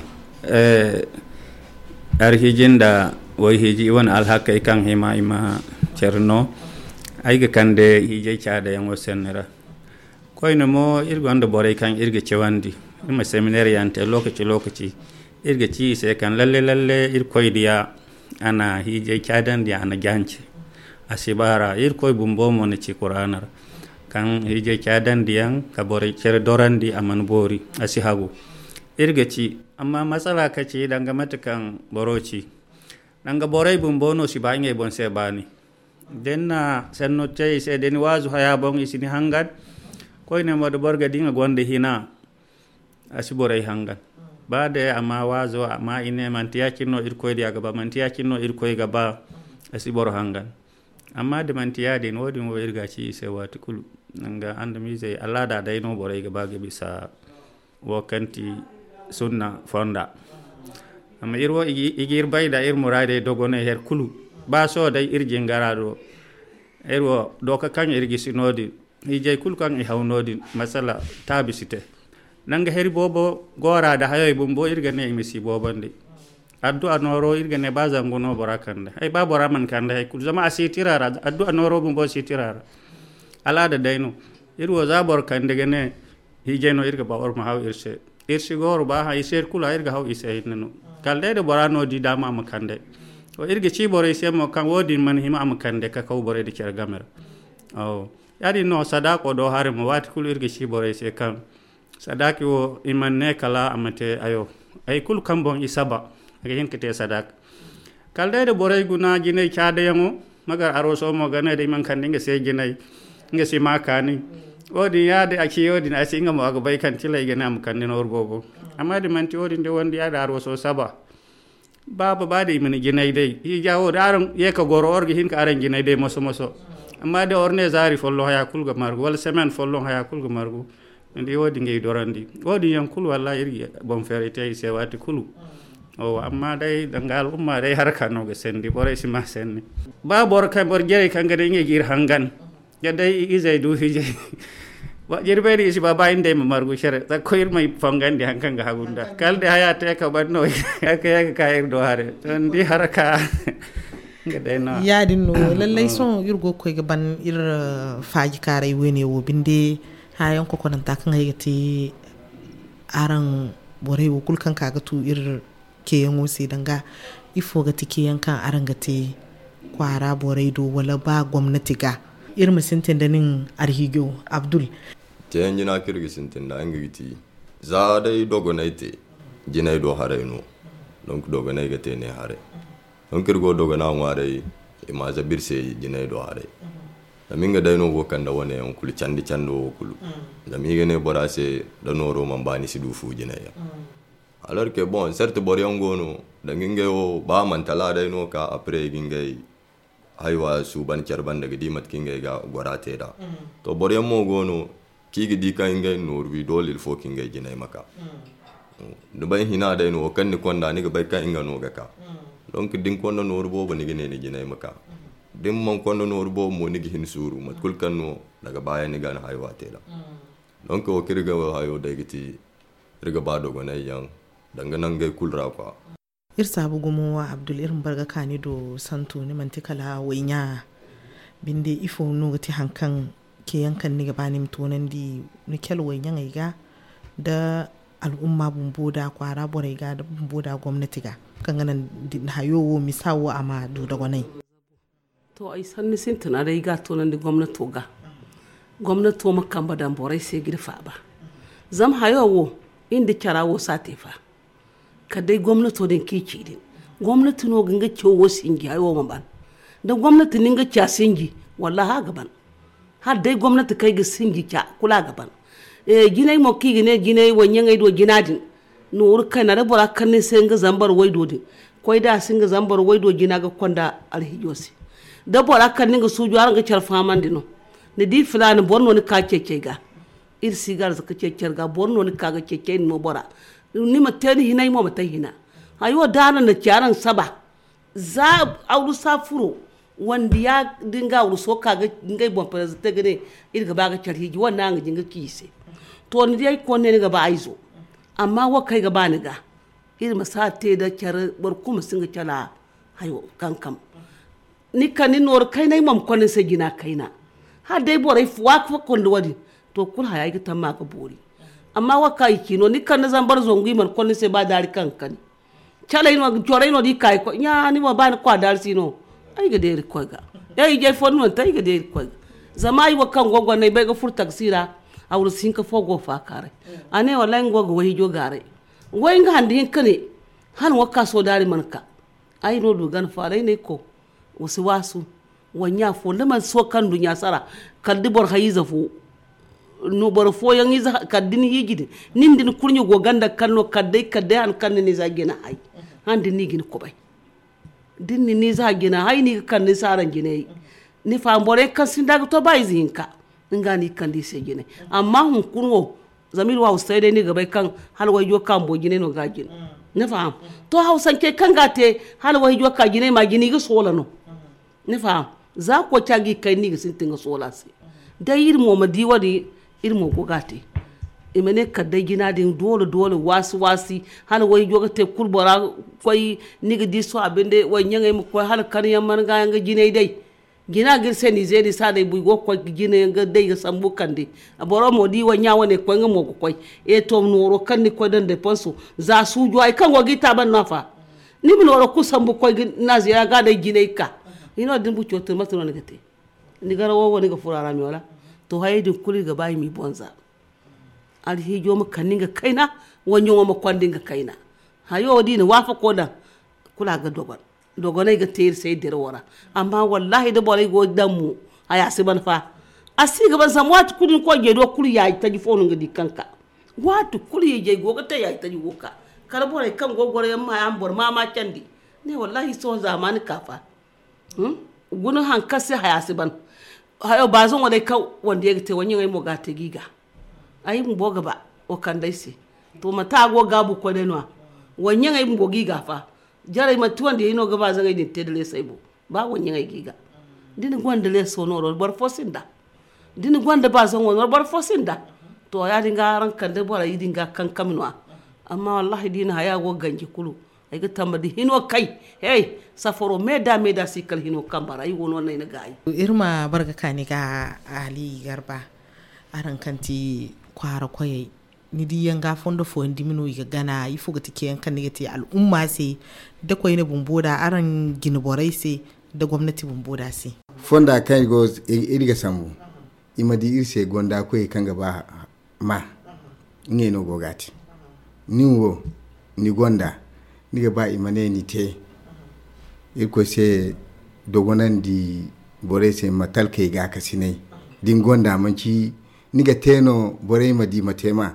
arhiji nda wayhiji i wane alhakey kaŋ hima i ma care no. Ay ga kande hiijay caadayaŋo sanni ra. Koyne mo iri gonda borey kaŋ iri ga cawandi iri ma seminaire yaŋ te lokaci lokaci. Iri ga ci i se kaŋ lalle lalle irkoy diya a na hiijay caadandi a na jance. A si baara irkoy bumbo mo na ci kuraana ra kaŋ hiijay caadandiyaŋ ka borey care dorandi a mana boori. A si hagu iri ga ci amma masala ka ci danga mate kaŋ boro ci. Danga borey bumbo no si ba ngey boŋ se baani. Da ni na sanno te i se da ni waazu haya boŋ i si ni hangan. Koyne mo da boro ga di nga gonda hina a si borey hangan. Ba day a ma waazo a ma i ne manti ya- cine no irkoy diya ga ba manti ya- cine no irkoy ga ba. A si boro hangan. Amma da manti yaadin, wo-din wo iri ga ci i se waati kulu. Nga andamiizey alaada day no borey ga ba ga bisa wo kaŋ ti sunna fonda. Amma iri wo i ga iri bay nda iri muraadey dogonay her kulu. Ba sohõ day iri jingara do, iri wo dooka kaŋ iri gisi no-din, hiijay kulu kaŋ i haw no-din, masala taabi si te. Nanga heri boobo go a ra nda hayey bumbo iri ga ne i ma si boobandi. Addu'a nooro iri ga ne ba zangu no bora kande ay ba bora mana kande hay kulu zama a si tira ra. Addu'a nooro bumbo si tira ra. Alaada day no. Iri wo za boro kande ga ne hiijay no iri ga ba war ma haw iri se. Iri si goro ba ha iri se iri kulu iri ga haw iri se hinne no. Kala day da bora no di dama a ma kande. Wo iri ga ci borey se mo kaŋ wo-din mana hima a ma kande ka kaw borey da care game ra. Awo. Yaadin no sadaako do hare mo waati kulu iri ga ci borey se kaŋ sadaaki wo i mana ne kala a ma te ayo. Hay kulu kaŋ boŋ i saba a ga hin ka te sadaaka. Kala day da borey guna jinay caadayaŋo magar aroso mo ga ne da i mana kande nga se jinay nga si ma kaani. Wo-din yaadin a ci wo-din a si nga mo a ga bay kaŋ tilay ga ne a ma kande nooru boobo. Amma da manti wo-din da wandi yaadin aroso saba. Baaba ba da i mana jinay day hiija wo da araŋ ye ka goro war ga hin ka araŋ jinay day moso moso. Amma da war ne zaari folloŋ haya kulu ga margu wala semaine folloŋ haya kulu ga margu. Ni di wo-din ga i dorandi wo-din yaŋ kulu wallahi iri ga boŋ feeray te i se waati kulu. Amma day danga al'umma day haraka no ga sandi borey si ma sanni. Ba boro kaŋ boro jarey kaŋ ga day ngey ga iri hangan. Ga day izey du hijay. Jirbey din i si ba ba iri nd'ey ma margu care zakko iri ma fongandi hari kaŋ ga hagu nda kala day haya te ka ban no. Ka ye ga ka iri do hare to ni di haraka. Nga day no. Yaadin no lallay sohõ iri go ga koy ga ban iri faajikaaray wayne wo binde. Hayaŋ kokonanta kaŋ ay ga te araŋ borey wo kulu kaŋ ka ga tu iri ceeyaŋo se danga ifo ga ti ceeyaŋ kaŋ araŋ ga te kwaara borey do wala ba gomnati ga? Iri ma sintin da nin arhiijo abdul. Ceeyaŋ jina kaŋ iri ga sintin da nga ga ti za day dogonay te jinay do haray no. Donk dogonay ga te ne haray. Donk iri go dogona ŋwaaray i ma zabu iri se jinay do haray. Zama nga day no go kande wane yaŋ kulu candi cando wo kulu. Zama i ga ne bora se da nooro mana ba ni si du fu jinay yaŋ. Alors que bon certes boro yaŋ go no danga ngey wo ba a mana tala day no ka après i ga ngey haywa suuban care banda ga di mate kaŋ ngey ga gora te nd'a. To boro yaŋ mo go no kaŋ i ga di kaŋ ngey nooru wi doole il faut kaŋ ngey jinay ma ka. Ni bay hina day no wo kaŋ ni konda ni ga bay kaŋ nga no ga ka. Donc da ni konda nooru boobo ni ga ne ni jinay ma ka. Da ni mana konda nooru boobo mo ni ga hin suuru mate kulu kaŋ no daga baya ni ga ni haywa te nd'a. Donc wo kaŋ iri ga hayo day ga ti iri ga ba dogonay yaŋ danga nangey kulu ra kwa. Iri saabu gumo abdul iri ma bar ga ka ni do santu ni manti kala wayɲa binde ifo no ga ti hari kaŋ ceeyaŋ kaŋ ni ga ba ni ma toonandi ni cale wayɲaŋey ga da al'umma bumbo da kwaara borey ga da bumbo da gomnati ga kaŋ ga naŋ hayo wo misa wo a ma du dogonay. To ay sanni sintina day i ga a toonandi gomnato ga. Gomnato ma kambe daŋ borey se ga iri faaba. Zama hayo wo iri nda cara wo si a te fa. Kala day gomnato din kaŋ i ci din gomnati no ga nga cawo wo sinji hayo wo ma ban. Da gomnati na nga ca sinji wallahi a ga ban. Hala day gomnati kaŋ ay ga sinji ca kulu a ga ban. Jinay mo kaŋ i ga ne jinay wayɲaŋey do jina din nooru kayna da bora kande ni se nga zambar waydo din koy da a si nga zambar waydo jina ga konda alhijo se. Da bora kande nga suujo araŋ ga care fahamandi no. Ni di filaana boro no ni ka ceecey ga. Iri si ga arzaka ceecey ga boro no ni ka ga ceecey ni no bora. Ni ma te ni hinay mo ma te hina. Hayo da araŋ na ci araŋ saba za awrusa furo wandiya da nga awruso ka ga ngey boŋ prezante ga ne iri ga ba ga care hiiji wane no araŋ ga jin ga ci i se. To ni di ay ga konda ne ni ga ba ay zo. Amma wo kaŋ ay ga ba ni ga iri ma si a te da care boro kulu ma si nga cala hayo kankam. Ni kande nooru kayna ay ma ma konda ni se jina kayna. Hala day borey waaka fo konda wo- din to kulu haya ay ga tamma ga boori. Amma wo kaŋ i ci no ni kande zambar zangu i mana konda ni se ba daari kaŋ ga kani. Caley no corey no da i ka i koy ɲa ni mo ba ni kwa daari si no. Ay ga deeri koy ga ya ijey fo ni no ni te ay ga deeri koy ga. Zama ay wo kaŋ go gonda ay bay ga furo taksi ra. Awru si hinka fo go faakaaray. A ne wallahi nga go ga wayhijo gaaray. Way nga hande hinka ne hala wo ka soodaari mana ka. Ay no du gana faaray no ay ko. Wa si waasu. Wa ɲa fo da mana sooka nduɲɲa sara. Kala da boro hay ize fo. Boro fooyaŋ ize kala da ni hiiji din nin da ni kurɲe go ganda kala no kala day kala day hari kaŋ ni na ize jina hay. Hala da ni na i ga ni kubay da ni na ni ize jina hay no i ga kande ni se araŋ jinayey. Ni faham, borey kaŋ sinda ga to ba ize hinka, nga no i ga kande i se jinay. Amma hunkuna wo, zama iri wo hawsay day no i ga bay kaŋ hala wayjo kaŋ bumbo jinay no ga a jina. Ni faham? To, hawsancey kaŋ ga a te hala wayjo ka jinay ma jina, i ga soola no. Ni faham? Za koy ca ga i kay no i ga sintin ga soola a se. Day iri mo ma di wo-din, iri mo go ga a te. I ma ne kala day jina din doole doole waasi waasi, hala wayjo ga te kulu bora koy, ni ga di sohõ a binde wayɲaŋey ma koy hala karyaŋ marga yaŋ ga jinay day. Jina ga iri se ni zeeri sa day buy go ga koy jina yaŋ ga day ga sambu kande. Boro mo di wayɲa wane ga koy nga mo ga koy. E to nooro kaŋ ni ga koy daŋ depanso za suujo hari kaŋ go ga i taaban no a fa. Ni ma nooro kulu sambu ga koy ga na zeera ga day jinay ga ka. Hino din buco to mate no ni ga te? Ni garawo wo ni ga furo a ra me wala? To hayey din kulu i ga ba i m'i bonza. Alhiijo ma kande nga kayna, wanjaŋo ma konda nga kayna. Hayo wo da i na waafako daŋ, kulu a ga dogon. Dogoney ga te iri se iri dirawo ra. Amma wallahi da borey go daŋ mo, haya si ban fa. A si ga ban zama waati kulu ni koy jey do kulu yaaji taji fo no nga di kaŋ ka. Waati kulu ijey go ga te yaaji taji go ka. Kala borey kaŋ go goro yaŋ ma haya ma boro ma ma candi. Ne wallahi sohõ zaamaani ka fa. Guna haŋ kaŋ se haya si ban. Hayo baazaŋo day kaŋ wandiyey ga te wanjaŋey mo ga a te ga i ga. Ay bumbo ga ba wa kande ay se. To manti a go ga gaabu koy day no-ya? Wanjaŋey bumbo ga i ga a fa. Jarey manti wandiyey no ga baazaŋey din te da leesay bo. Ba wanjaŋey ga i ga. Da ni gonda leeso nooro boro fo sinda. Da ni gonda baazaŋo nooro boro fo sinda. To ya-din ga araŋ kande borey din ga kankami no-ya. Amma wallahi da i na haya go ga ganji kulu. Ay ga tamba da hino kay. Hey, safaro me da me da si kala hino kamba ra ay wo no nay na gaayi. Iri ma barga kaani ga Ali Garba. Araŋ kaŋ ti kwaara koyey, ni di yaŋ ga fondo fooyaŋ dumi no i ga gana? Ifo ga ti ceeyaŋ kaŋ ni ga te al'umma se da koyne bumbo da araŋ jine borey se da gomnati bumbo da se? Fonda kaŋ iri ga sambu, i ma di iri se gonda koyey kaŋ ga ba ma. Ngey no go ga a te. Nin wo, ni gonda, ni ga ba i ma ne ni te. Irkoy se dogonandi borey se ma talkey gaakasinay. Da ni gonda manci ni ga te no borey ma di ma te ma.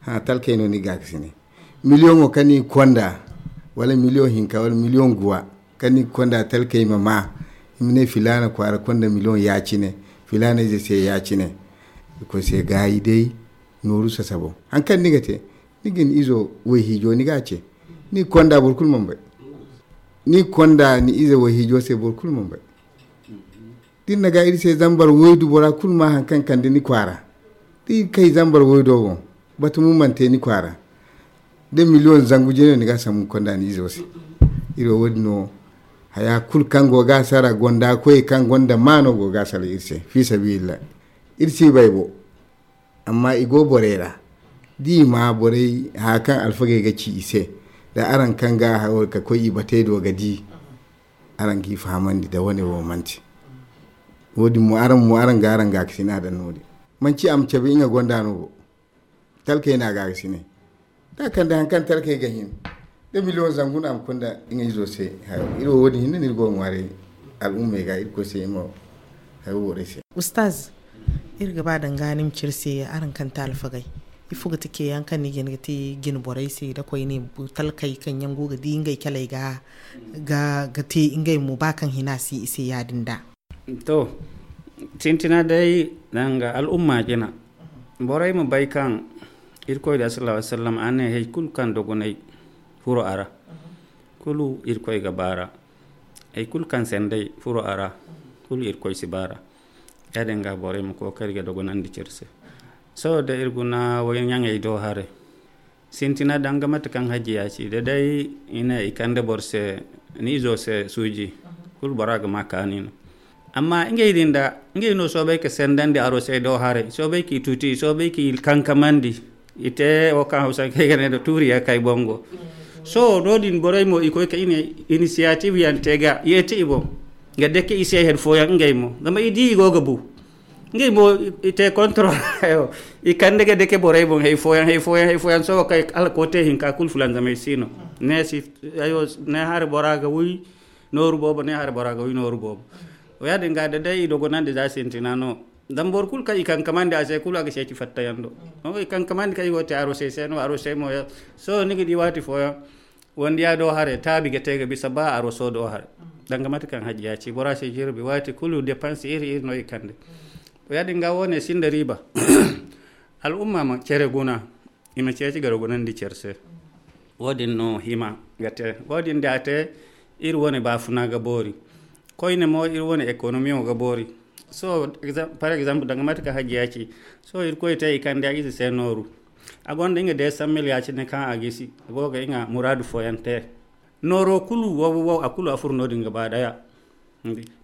Ha talkey no ni ga gaakasinay. Miliyoŋo kaŋ ni ga konda, wala miliyoŋ hinka wala miliyoŋ guwa, kaŋ ni ga konda talkey ma ma. I ma ne filaana kwaara konda miliyoŋ ya-cine, filaana ize se ya-cine. Irkoy se gaayi day nooru sasabo. Haŋ kaŋ ni ga te, ni ga ni izo wayhiijo ni ga a ce. Ni ga konda boro kulu mana bay. Ni ga konda ni ize wayhiijo se boro kulu mana bay. Da iri na ga iri se zambar waydu bora kulu ma haŋ kaŋ kande ni kwaara. Da iri kay zambar waydo boŋ, batumo mana te ni kwaara. Da miliyoŋ zangu jine no ni ga a sambu ga konda ni izo se. Iri wo wo-din no haya kulu kaŋ go ga a sara gonda koyey kaŋ gonda maano go ga a sara iri se fi sabilillah. Iri si bay bo. Amma i go borey ra. Da i ma borey haya kaŋ alfagey ga ci i se, da araŋ kaŋ ga hawar ka koy i batey do ga di, araŋ g'i fahamandi da wane wo manti. Wo-din mo araŋ mo araŋ ga araŋ gaakasina daŋ no-din. Manci a ma cabe nga gonda no bo. Talkey no a gaakasinay. Da a kande haŋ kaŋ talkey ga hin da miliyoŋ zangu no a ma kunda nga izo se. Iri wo wo-din hinne no iri go ga ŋwaaray al'ummey ga Irkoy se i ma hayo borey se. Ustaz, iri ga ba danga ni ma ci iri se araŋ kaŋ te alfagey, ifo ga ti ceeyaŋ kaŋ ni ga hin ga te jine borey se da koyne talkey kaŋ yaŋ go ga di ngey caley ga ga te ngey mo ba kaŋ hina si i se ya-din da? To, sintina day danga al'umma jina. Borey ma bay kaŋ Irkoy da sallallahu alaihi wasallam a ne hay kulu kaŋ dogonay furo a ra, kulu Irkoy ga baara. Hay kulu kaŋ sendey furo a ra, kulu Irkoy si baara. Ya-din ga borey ma kookari ga dogonandi ci iri se. Sohõ da iri guna wayyaŋey do haray. Sintina danga mate kaŋ hajjiya ci da day i ne i kande boro se ni izo se suuji, kulu bora ga ma kaani no. Amma ngey din da ngey no soobay ka sendandi arosey do haray, soobay k'i tuti, soobay k'i kankamandi. I te wo kaŋ hawsankey ga ne nda tuuriya kay bongo. Sohõ no-din borey mo i koy ka inisiyatif yaŋ te ga yeeti i boŋ ga dake i se hari fooyaŋ ngey mo zama i di i go ga bu. Ngey mo i te kontrol. I kande ga dake borey boŋ hay fooyaŋ hay fooyaŋ hay fooyaŋ sohõ kay hala koote hinka kulu fulanzamay si no. Ne si ne hari bora ga wi nooru boobo ne hari bora ga wi nooru boobo. Wo ya-din ga da day i dogonandi za sintina no. Zama boro kulu kaŋ i kankamandi a se kulu a ga ceeci fattayaŋ do. Sohõ i kankamandi kaŋ i go ga te arosey se no arosey mo sohõ ni ga di waati fooyaŋ. Wandiya do haray taabi ga te ga bisa ba aroso do haray. Danga mate kaŋ hajji ya ci bora se jirbi waati kulu depanse iri iri no i kande. To ya- din ga wo- ne sinda riiba. Al'umma ma cere guna, i ma ceeci ga rogonandi care se. Wo- din no hima ga te. Wo- din da a te, iri wo- ne baafuna ga boori. Koyne mo iri wo- ne ekonomiyo ga boori. So, par exemple danga mate kaŋ hajji ya ci, so iri koy te i kande a ize se nooru. A gonda nga de sammil ya cine kaŋ a gisi a go ga nga muraadu fooyaŋ te. Nooro kulu wo wo a kulu a furo no- din ga ba daya.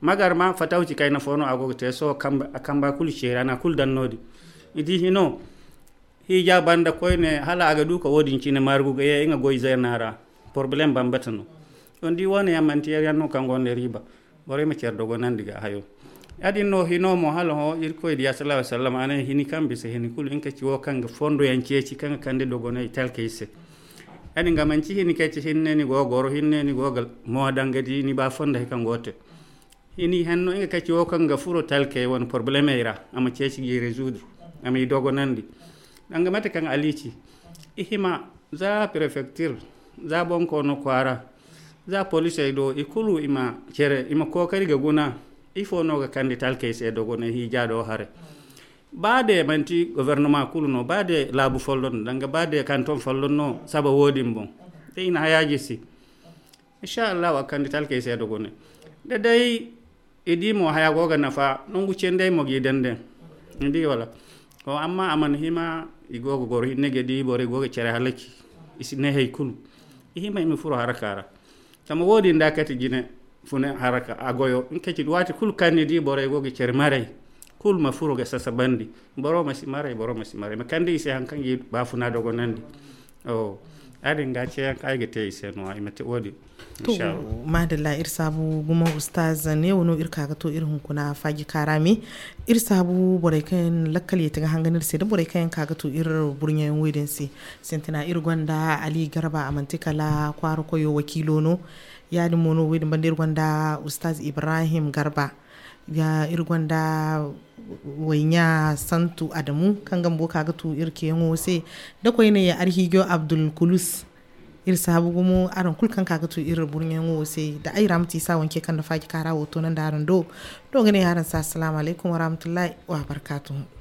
Magar ma fatawci kayna fo no a go ga te so, a kamba kulu ceeri a na kulu daŋ no- din. I di hino, hija banda koyne hala a ga du ka wo- din cine margu ga ye nga goy zena ra. Problème bambata no. Don di wo- ne yaŋ manti yar yaŋ no kaŋ gonda riiba. Borey ma care dogonandi ga hayo. Ya- din no hino mo hala ho irkoy diya sallallahu alaihi wasallam a ne hini kaŋ bisa hini kulu nga ka ci wo kaŋ ga fondo yaŋ ceeci kaŋ ga kande dogonay talkey se. Ya- din ga manci hini kaŋ ci hinne ni go ga goro hinne ni go ga mo daŋ ga di ni ba fondo hay kaŋ go te. Hini henno nga ka ci wo kaŋ ga furo talkey wane problemey ra a ma ceeci ga i résoudre, a ma i dogonandi. Danga mate kaŋ ali ci, i hima za préfecture, za bonkoono kwaara, za polisey do i kulu i ma cere i ma kookari ga guna. Ifo no ga kande talkey se dogonay hija do hare? Ba de manti gouvernement kulu no, ba de laabu folloŋ no danga ba de kanton folloŋ no saba wo- din boŋ, da i na haya gisi. Insha Allah a ga kande talkey se dogonay. Da day i di mo haya go ga nafa nangu cendey mo ga i daŋ daŋ. Ni di wala? Amma a mana hima. I go ga goro hinne ga di borey go ga care halaki. I si ne hay kulu. I hima i ma furo haraka ra. Zama wo- din da kati jine fune haraka a goyo nga ka ci waati kulu kaŋ ni di borey go ga care maray, kulu ma furo ga sasabandi. Boro ma si maray, boro ma si maray ma kande i se haŋ kaŋ ga i baafuna dogonandi. Ya- din ga ceeyaŋ kaŋ ay ga te i se no i ma te wo- din. To, madalla, iri saabu gumo ustaz, ne wano iri ka ga to iri hunkuna faaji kaara me. Iri saabu borey kaŋ lakkal yeti ga hangan iri se da borey kaŋ yaŋ ka ga to iri burɲayaŋ wo- din se. Sintina iri gonda ali garba a manti kala kwaara koyo wakiilo no. Ya- din mo no wo- din banda iri gonda ustaz ibrahim garba. Iri gonda wayɲa santu adamu kaŋ ga mbo ka ga tu iri keyaŋo se. Da koyne arhijo abdul kulus. Iri saabu gumo araŋ kulu kaŋ ka ga tu iri burɲaŋo se da ay ra ma ti sa wanke kaŋ da faaji kaara wo to naŋ da araŋ do. Do ga ne araŋ se assalamu alaikum warahmatullahi wabarakatuhu.